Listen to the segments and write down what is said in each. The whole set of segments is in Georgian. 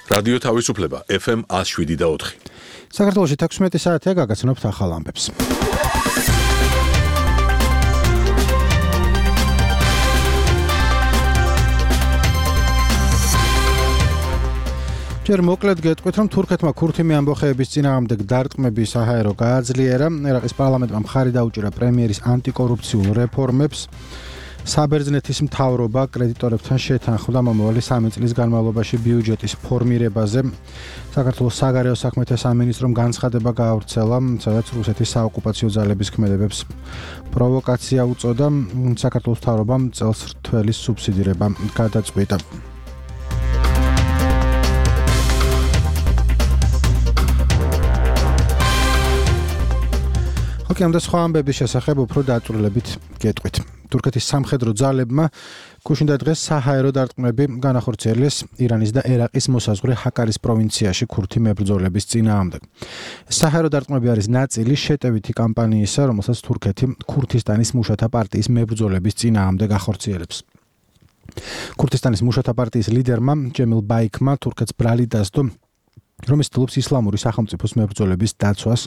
რადიო თავისუფლება FM 107.4. საქართველოში 16 საათია გაგაცნობთ ახალ ამბებს. ჯერ მოკლედ გეტყვით, რომ თურქეთმა ქურთიმი ამბოხეების წინააღმდეგ დარტყმები საჰაერო გააძლიერა. ერაყის პარლამენტმა მხარი დაუჭირა პრემიერის ანტიკორუფციულ რეფორმებს. საბერძნეთის მთავრობა კრედიტორებთან შეთანხმდა მომავალი 3 წლის განმავლობაში ბიუჯეტის ფორმირებაზე. საქართველოს საგარეო საქმეთა სამინისტრომ განცხადება გაავრცელა, სადაც რუსეთის საოკუპაციო ძალების ქმედებებს პროვოკაცია უწოდა. საქართველოს მთავრობამ წელს რთველის სუბსიდირება გადაწყვიტა. ამ და სხვა ამბების შესახებ უფრო დაწვრილებით გეტყვით. თურქეთის სამხედრო ძალებმა გუშინდა დღეს საჰაერო დარტყმები განახორციელეს ირანის და ერაყის მოსაზღვრე ჰაკარის პროვინციაში ქურთი მებრძოლების წინააღმდეგ. საჰაერო დარტყმები არის ნაწილი შეტევითი კამპანიისა, რომელსაც თურქეთი ქურთისტანის მუშათა პარტიის მებრძოლების წინააღმდეგ ახორციელებს. ქურთისტანის მუშათა პარტიის ლიდერმა ჯემილ ბაიქმა თურქეთს ბრალი დასდო, რომ ცდილობს ისლამური სახელმწიფოს მებრძოლების დაცვას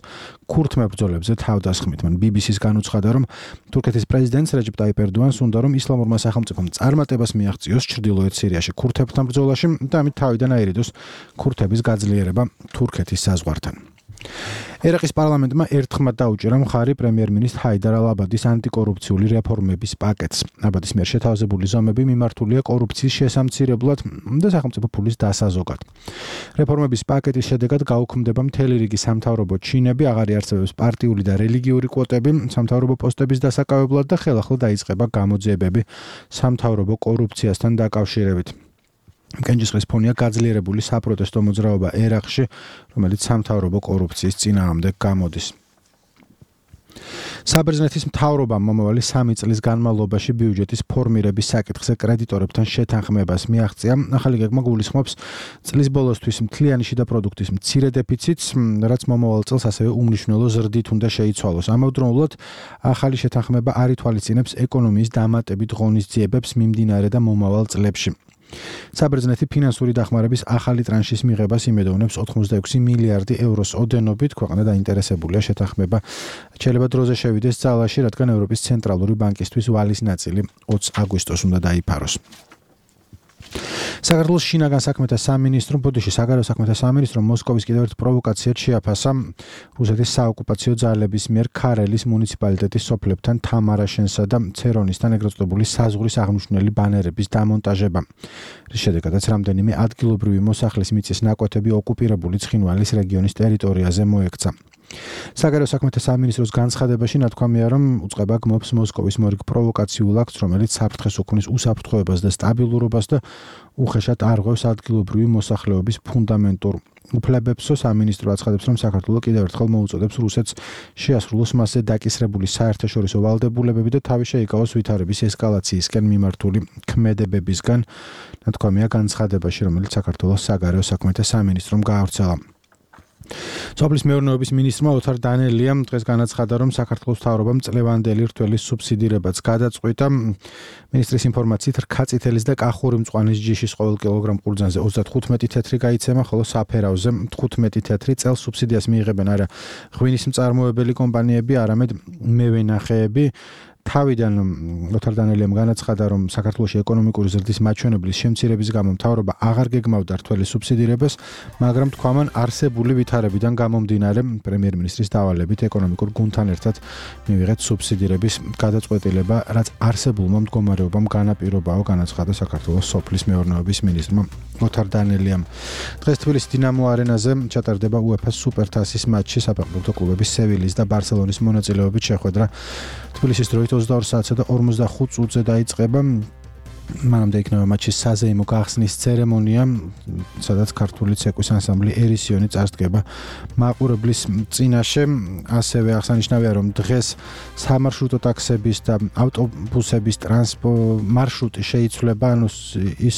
ქურთ მებრძოლებზე თავდასხმით. მან BBC-ს განუცხადა, რომ თურქეთის პრეზიდენტს რეჯეპ ტაიპ ერდოანს უნდა, რომ ისლამურმა სახელმწიფომ წარმატებას მიაღწიოს ჩრდილოეთ სირიაში ქურთებთან ბრძოლაში და ამით თავიდან აირიდოს ქურთების გაძლიერება თურქეთის საზღვართან. ერაყის პარლამენტმა ერთხმად დაუჭირა მხარი პრემიერ-მინისტრ ჰაიდარ ალ-აბადის ანტიკორუფციული რეფორმების პაკეტს. აბადის მიერ შეთავაზებული ზომები მიმართულია კორუფციის შესამცირებლად და სახელმწიფო ფულის დასაზოგად. რეფორმების პაკეტის შედეგად გაუქმდება მთელი რიგი სამთავრობო ჩინები, აღარ იარსებებს პარტიული და რელიგიური კვოტები სამთავრობო პოსტების დასაკავებლად და ხელახლა დაიწყება გამოძიებები სამთავრობო კორუფციასთან დაკავშირებით. კენჭისყრის ფონია გაძლიერებული საპროტესტო მოძრაობა ერაყში, რომელიც სამთავრობო კორუფციის წინააღმდეგ გამოდის. საბერძნეთის მთავრობამ მომავალი 3 წლის განმავლობაში ბიუჯეტის ფორმირების საკითხზე კრედიტორებთან შეთანხმებას მიაღწია. ახალი გეგმა გულისხმობს წლის ბოლოსთვის მთლიანი შიდა პროდუქტის მცირე დეფიციტს, რაც მომავალ წელს ასევე უმნიშვნელო ზრდით უნდა შეიცვალოს. ამავდროულად ახალი შეთანხმება არ ითვალისწინებს ეკონომიის დამატებით ღონისძიებებს მიმდინარე და მომავალ წლებში. საბერძნეთი ფინანსური დახმარების ახალი ტრანშის მიღებას იმედოვნებს 86 მილიარდი ევროს ოდენობით. ქვეყანა დაინტერესებულია შეთანხმება შეიძლება დროზე შევიდეს ძალაში, რადგან ევროპის ცენტრალური ბანკისთვის ვალის ნაწილი 20 აგვისტოს უნდა დაიფაროს. საქართველოს შინაგან საქმეთა სამინისტრომ ბოდიში საგარეო საქმეთა სამინისტრომ მოსკოვის კიდევ ერთ პროვოკაციად შეაფასა რუსეთის საოკუპაციო ძალების მიერ ქარელის მუნიციპალიტეტის სოფლებთან თამარაშენსა და ცერონისთან ეგრეთ წოდებული საზღვრის აღნიშნული ბანერების დამონტაჟება. რის შედეგადაც რამდენიმე ადგილობრივი მოსახლის მიწის ნაკვეთები ოკუპირებული ცხინვალის რეგიონის ტერიტორიაზე მოექცა. საგარეო საქმეთა სამინისტროს განცხადებაში ნათქვამია, რომ უწყება გმობს მოსკოვის მორიგ პროვოკაციულ აქტს, რომელიც საფრთხეს უქმნის უსაფრთხოებას და სტაბილურობას და უხეშად არღვევს ადგილობრივი მოსახლეობის ფუნდამენტურ უფლებებსო. სამინისტრო აცხადებს, რომ საქართველოს კიდევ ერთხელ მოუწოდებს რუსეთს შეასრულოს მასზე დაკისრებული საერთაშორისო ვალდებულებები და თავი შეიკავოს ვითარების ესკალაციისკენ მიმართული ქმედებებისგან. ნათქვამია განცხადებაში, რომელიც საქართველოს საგარეო საქმეთა სამინისტრომ გაავრცელა. სოფლის მეურნეობის მინისტრმა ოთარ დანელიამ დღეს განაცხადა, რომ საქართველოს მთავრობამ წლევანდელი რთველის სუბსიდირებაც გადაწყვიტა. მინისტრის ინფორმაციით რქაწითელის და კახური მწვანის ჯიშის ყოველ კილოგრამ ყურძანზე 35 თეთრი გაიცემა, ხოლო საფერავზე 15 თეთრი. წელს სუბსიდიას მიიღებენ არა ღვინის მწარმოებელი კომპანიები, არამედ მევენახეები. თავიდან ოთარ დანელიამ განაცხადა, რომ საქართველოში ეკონომიკური ზრდის მაჩვენებლის შემცირების გამო მთავრობა აღარ გეგმავდა რთველის სუბსიდირებას, მაგრამ თქვამან არსებული ვითარებიდან გამომდინარე პრემიერ-მინისტრის დავალებით ეკონომიკურ გუნდთან ერთად მივიღეთ სუბსიდირების გადაწყვეტილება, რაც არსებულმა მდგომარეობამ განაპირობაო, განაცხადა საქართველოს სოფლის მეურნეობის მინისტრმა ოთარ დანელიამ. დღეს თბილისის დინამო არენაზე ჩატარდება UEFA-ს სუპერთასის მატჩი, საფეხბურთო კლუბების სევილის და ბარსელონის მონაწილეობით შეხვედრა თბილისის დროით 22 საათსა და 45 წუთზე დაიწყება. მანამდე იქნება მატჩის საზეიმო გახსნის ცერემონია, სადაც ქართული ცეკვის ანსამბლი ერისიონი წარსდგება მაყურებლის წინაშე. ასევე აღსანიშნავია, რომ დღეს სამარშრუტო ტაქსების და ავტობუსების მარშრუტი შეიცვლება, ანუ ის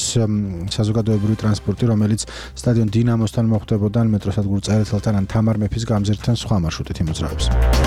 საზოგადოებრივი ტრანსპორტი, რომელიც სტადიონ დინამოსთან მოხვდებოდა, მეტროსადგურ წერეთელთან ან თამარ მეფის გამზირთან სხვა მარშრუტით იმოძრავებს.